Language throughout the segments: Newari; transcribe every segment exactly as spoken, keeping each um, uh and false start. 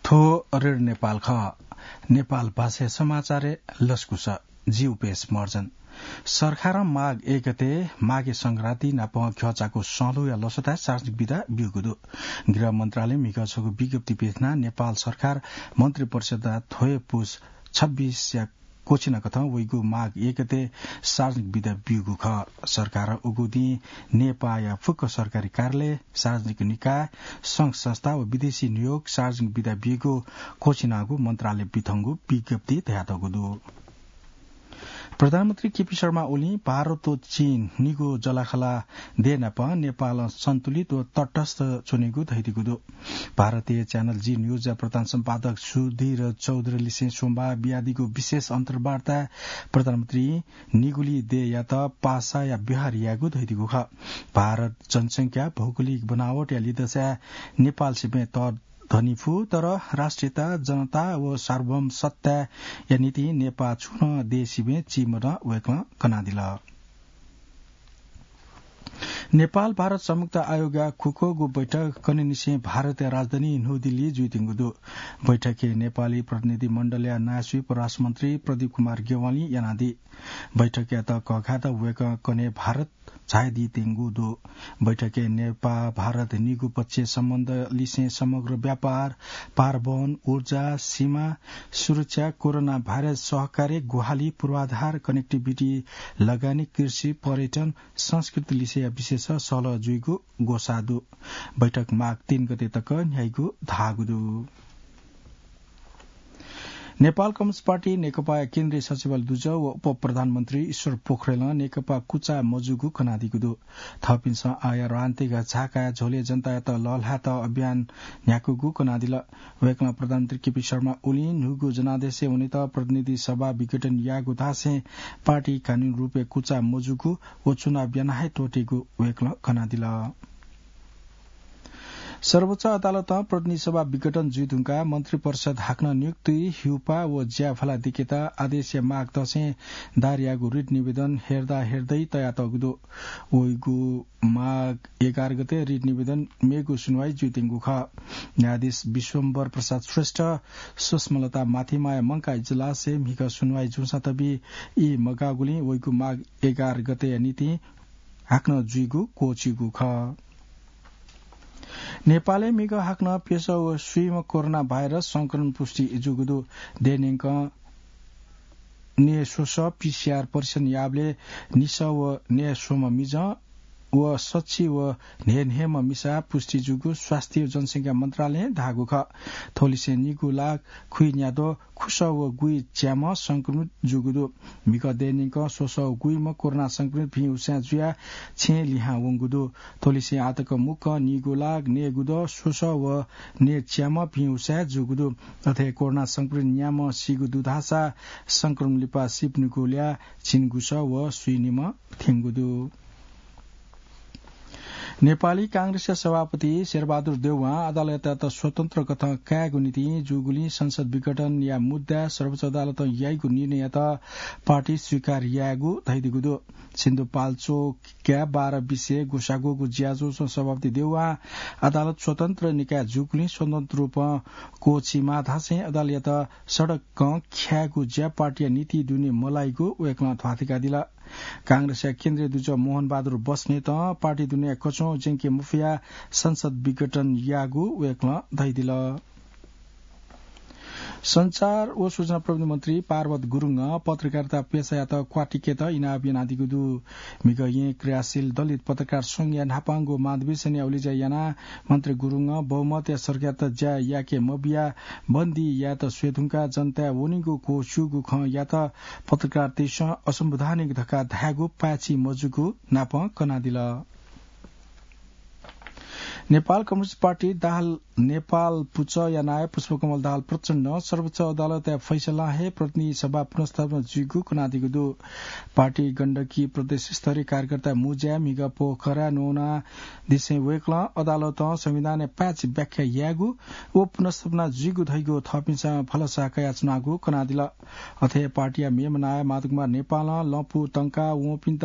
थ्व रेडियो नेपाल खः। नेपाल भाषाया समाचारय् लसकुस। जि उपेश महर्जन। सरकारं माघ एक गते माघे संक्रान्ति नाप घ्यःचाःगु सँल्हुया लसताय् सार्वजनिक बिदा ब्यूगु दु। गृह मन्त्रालयं म्हिगः छगू विज्ञप्ति पिथनाः नेपाल सरकार मन्त्रिपरिषदया थ्वया पुस छब्बीसया क्वःछिना कथं वइगु माघ एक गते सार्वजनिक बिदा ब्यूगु खः। सरकारं उगु दिं नेपाःया फुक्क सरकारी कार्यालय, सार्वजनिक निकाय, संघ संस्था व विदेशी नियोग सार्वजनिक बिदा ब्यूगु क्वःछिनागु मन्त्रालयं पिथंगु विज्ञप्तिइ धयातःगु दु। प्रधानमन्त्री केपी शर्मा ओलीं भारत व चीन निगू जःलाखःला देय् नाप नेपालं सन्तुलित व तटस्थ च्वनीगु धयादीगु दु। भारतीय च्यानल जी न्यूजया प्रधान सम्पादक सुधीर चौधुरीलिसें सोमबार बियादीगु विशेष अन्तर्वार्ताय् प्रधानमन्त्रीं निगूलि देय्‌यात पासाया व्यवहार यायेगु धयादीगु खः। भारत जनसंख्या, भौगोलिक बनावटया लिधंसाय् नेपाल सिबें तःधंनिफु, तर राष्ट्रियता, जनता व सार्वभौम सत्ताया निंतिं नेपाः छुं नं देय् सिबें चीम्ह धकाः वय्‌कलं कनादिल। नेपाल भारत संयुक्त आयोगया खुक्वःगु बैठक कन्हय्‌निसें भारतया राजधानी न्हू दिल्ली जुइत्यंगु दु। बैठकय् नेपाली प्रतिनिधि मण्डलया नायःस्वी परराष्ट्र मन्त्री प्रदीप कुमार ज्ञवालीं यानादी। बैठकयात कःघायेत वय्‌कः कन्हय् भारत झायादीत्यंगु दु। बैठकय् नेपाः भारत निगू पक्षीय सम्बन्ध लिसें समग्र व्यापार, पारवहन, ऊर्जा, सीमा सुरक्षा, कोरोना भाइरस सहकार्य, ग्वाहालि, पूर्वाधार, connectivity, लगानी, कृषि, पर्यटन, संस्कृति लिसेया विषयय् सहलह जुइगु ग्वसाः दु। बैठक माघ तीन गते तक न्ह्याइगु धाःगु दु। नेपाल कम्युनिस्ट पार्टी नेकपाया केन्द्रीय सचिवालय दुजः व उपप्रधानमन्त्री ईश्वर पोखरेलं नेकपा कुचा मजूगु कनादीगु दु। थःपिन्सं आःया राजनीतिक झाकाया झ्वलय् जनतायात लःल्हायेत अभियान न्ह्याकूगु कनादिल। वय्‌कलं प्रधानमन्त्री केपी शर्मा ओलीं न्हूगु जनादेशय् वनेत प्रतिनिधि सभा विघटन याःगु धासें पार्टी कानूनी रूपय् कुचा मजूगु व चुनाव याना हे त्वःतेगु वय्‌कलं कनादिल। सर्वोच्च अदालतं प्रतिनिधि सभा विघटन जुइधुंकाः मन्त्रिपरिषद हाकनं नियुक्ति, हिउपाः व ज्या फलादिकेत आदेशया माग तसें दायर याःगु रिट निवेदन हेर्दा हेर्दै तयातःगु दु। वइगु माघ एघार गते रिट निवेदन मेगु सुनवाई जुइत्यंगु खः। न्यायाधीश विश्वम्भर प्रसाद श्रेष्ठ, सुष्मालता माथिमाया मंकाः इजलासय् म्हिगः सुनवाई जूसां तबि ई मगाःगुलिं वइगु माघ एघार गतेया निंतिं हाकनं जुइगु क्वःछिइगु खः। नेपालय् म्हिगः हाकनं प्यसः व स्वीम्ह कोरोना भाइरस संक्रमण पुष्टि जूगु दु। देय्‌न्यंकं न्यय्‌स्वसः पीसीआर परीक्षण याःबलय् निसः व न्यय्‌स्वम्ह मिजं व सछि व न्हय्‌न्हय्‌म्ह मिसा पुष्टि जूगु स्वास्थ्य व जनसंख्या मन्त्रालयं धाःगु खः। थ्वलिसें निगू लाख खुइन्याद्वः खुसः व गुइच्याम्ह संक्रमित जूगु दु। म्हिगः देय्‌न्यंकं स्वसः व गुइम्ह कोरोना संक्रमित भिं हुस्यां जुयाः छेँय् लिहां वंगु दु। थ्वलिसें आःतक मुक्कं निगू लाख नयेगुद्वः स्वसः व नयेच्याम्ह भिं हुस्यां जूगु दु। अथे कोरोना संक्रमित न्याम्ह सीगु दु धाःसा संक्रमण लिपा सीपिनिगु ल्याः झिंगुसः व स्वीनिम्ह थ्यंगु दु। नेपाली कांग्रेसया सभापति शेरबहादुर देउवां अदालतयात स्वतन्त्र कथं कायेगु निंतिं जूगुलिं संसद विघटनया मुद्दाय् सर्वोच्च अदालतं याइगु निर्णययात पार्टी स्वीकार यायेगु धयादीगु दु। सिन्धुपाल्चोकया बाह्र बिसे ग्वसाग्वःगु ज्याझ्वलय् सभापति देउवां अदालत स्वतन्त्र निकाय जूगुलिं स्वतन्त्र रूपं क्वःछिइमाः धासें अदालतयात सडकं ख्यायेगु ज्या पार्टीया नीति दुने मलाइगु वय्‌कलं ध्वाथुइकादिल। कांग्रेसया केन्द्रीय दुजः मोहनबहादुर बस्नेतं पार्टी दुने कच्वं ज्यंके मफयाः संसद विघटन याःगु वय्‌कलं धयादिल। सञ्चार व सूचना प्रविधि मन्त्री पार्वत गुरुङं पत्रकारिता पेसायात क्वातिकेत इनाप यानादीगु दु। म्हिगः येँ क्रियाशील दलित पत्रकार संघया न्हापांगु महाधिवेशनया उलेज्या यानाः मन्त्री गुरुङं बहुमतया सरकारयात ज्या याके मबियाः बन्दी यायेत स्वयेधुंकाः जनताय् वनीगु क्वःछिइगु खँ यात पत्रकारितां असंवैधानिक धकाः धायेगु पाय्‌छि मजूगु नापं कनादिल। नेपाल कम्युनिस्ट पार्टी दाहाल नेपाल पुचःया नायः पुष्पकमल दाहाल प्रचण्डं सर्वोच्च अदालतया फैसलां हे प्रतिनिधि सभा पुनर्स्थापना जुइगु कनादीगु दु। पार्टी गण्डकी प्रदेश स्तरीय कार्यकर्ता मुज्याय् म्हिगः पोखराय् न्वनादिसें वय्‌कलं अदालतं संविधानया पाय्‌छि व्याख्या यायेगु व पुनर्स्थापना जुइगु धइगु थःपिन्सं भलसा कयाच्वनागु कनादिल। अथे पार्टीया मेम्ह नायः माधवकुमार नेपालं लँपु तंकाः वंपिन्त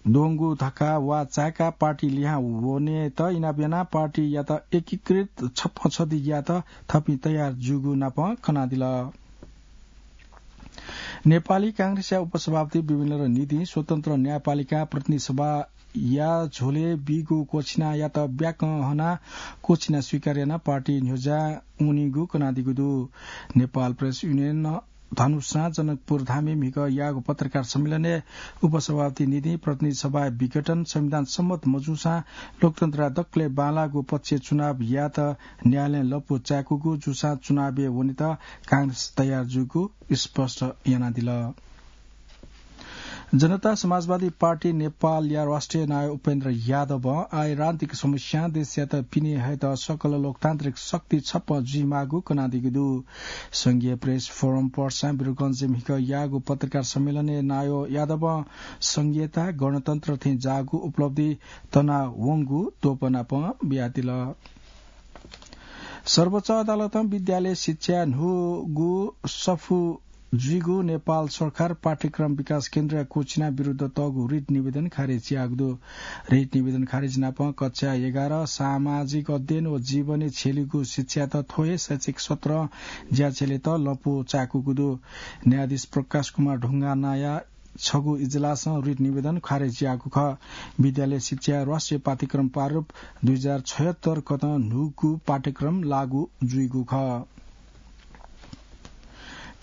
द्वंगु धकाः वा चाय्‌काः पार्टी लिहां वनेत इनाप यानाः पार्टीयात एकीकृत छप्पँ छधियात थपिं तयार जूगु नापं कनादिल। नेपाली कांग्रेसया उपसभापति विमलेन्द्र निधिं स्वतन्त्र न्यायपालिका प्रतिनिधि सभाया झ्वलय् बीगु क्वःछिनायात ब्याकं हनाः क्वःछिना स्वीकार यानाः पार्टी न्ह्यज्याः वनीगु कनादीगु दु। नेपाल प्रेस युनियन धनुषां जनकपुर धामय् म्हिगः याःगु पत्रकार सम्मेलनय् उपसभापति निधिं प्रतिनिधि सभाया विघटन संविधान सम्मत मजूसां लोकतन्त्रया दकलय् बांलाःगु पक्षय् चुनाव यायेत न्यायालयं लँपु चाय्‌कूगु जूसां चुनावय् वनेत कांग्रेस तयार जूगु स्पष्ट यानादिल। जनता समाजवादी पार्टी नेपालया राष्ट्रिय नायः उपेन्द्र यादवं आर्थिक समस्यां देशयात पिने हयेत सकल लोकतान्त्रिक शक्ति छप्पँ जुइमाःगु कनादीगु दु। संघीय प्रेस फोरम पर्सा वीरगंजय् म्हिगः याःगु पत्रकार सम्मेलनय् नायः यादवं संघीयता, गणतन्त्र थें जाःगु उपलब्धि तनावंगु त्वःपनापं बियादिल। सर्वोच्च अदालतं विद्यालय शिक्षा न्हूगु सफू जुइगु नेपाल सरकार पाठ्यक्रम विकास केन्द्रया क्वःछिना विरुद्ध तःगु रिट निवेदन खारेज याःगु दु। रिट निवेदन खारेज नापं कक्षा एघार सामाजिक अध्ययन व जीवनी छेलिगु शिक्षात थ्व हे शैक्षिक सत्रं ज्याछेलेत लँपु चाय्‌कूगु दु। न्यायाधीश प्रकाश कुमार ढुङ्गानाया छगू इजलासं रिट निवेदन खारेज याःगु खः। विद्यालय शिक्षा राष्ट्रिय पाठ्यक्रम प्रारूप दुई हजार छयत्तर कथं न्हूगु पाठ्यक्रम लागू जुइगु खः।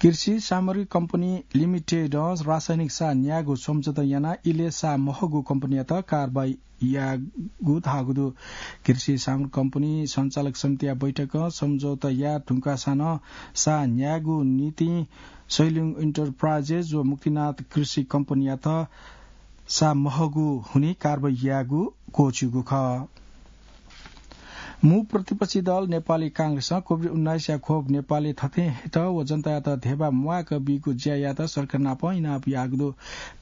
कृषि सामग्री कम्पनी लिमिटेडं रासायनिक सार न्यायेगु सम्झौता यानाः इलय् सार महःगु कम्पनीयात कारवाही याःगु धाःगु दु। कृषि सामग्री कम्पनी सञ्चालक समितिया बैठकं सम्झौता याये धुंकाः सारं सार न्यायेगु निंतिं सैलुङ इन्टरप्राइजेस व मुक्तिनाथ कृषि कम्पनीयात सार महःगु हुनिं कारवाही यायेगु क्वःछिउगु खः। मू प्रतिपक्षी दल नेपाली कांग्रेसं कोभिड उन्नाइसया खोप नेपालय् थथें हयेत व जनतायात धेबा म्वाःक बीगु ज्या यायेत सरकार नाप इनाप याःगु दु।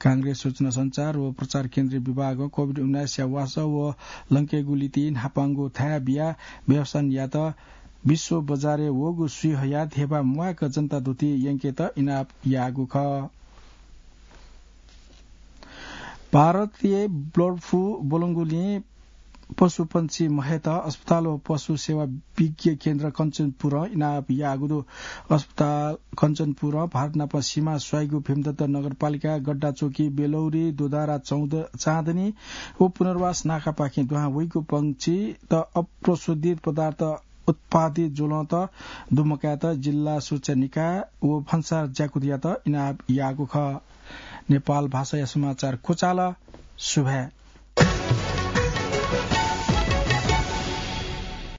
कांग्रेस सूचना सञ्चार व प्रचार केन्द्रीय विभागं कोभिड उन्नाइसया वासः व लंकेगु लिति न्हापांगु थाय् बियाः व्यवस्थापन यायेत विश्व बजारय् वःगु सुइ हयाः धेबा म्वाःक जनता धुति यंकेत इनाप याःगु खः। भारतय् बर्ड फ्लू ब्वलंगुलिं पशुपंक्षी महयेत अस्पताल व पशु सेवा विज्ञ केन्द्र कञ्चनपुरं इनाप याःगु दु। अस्पताल कञ्चनपुरं भारत नाप सीमा स्वाइगु भीमदत्त नगरपालिका, गड्डाचोकी, बेलौरी, दोधारा, चौध, चाँदनी व पुनर्वास नाकापाखें दुहां वइगु पंक्षीत अप्रशोधित पदार्थ उत्पादित ज्वलंत दुमकायेत जिल्ला सुरक्षा निकाय व भन्सार ज्याकुथियात इनाप याःगु खः। नेपाल भाषाया समाचार क्वचाल। सुभाय्।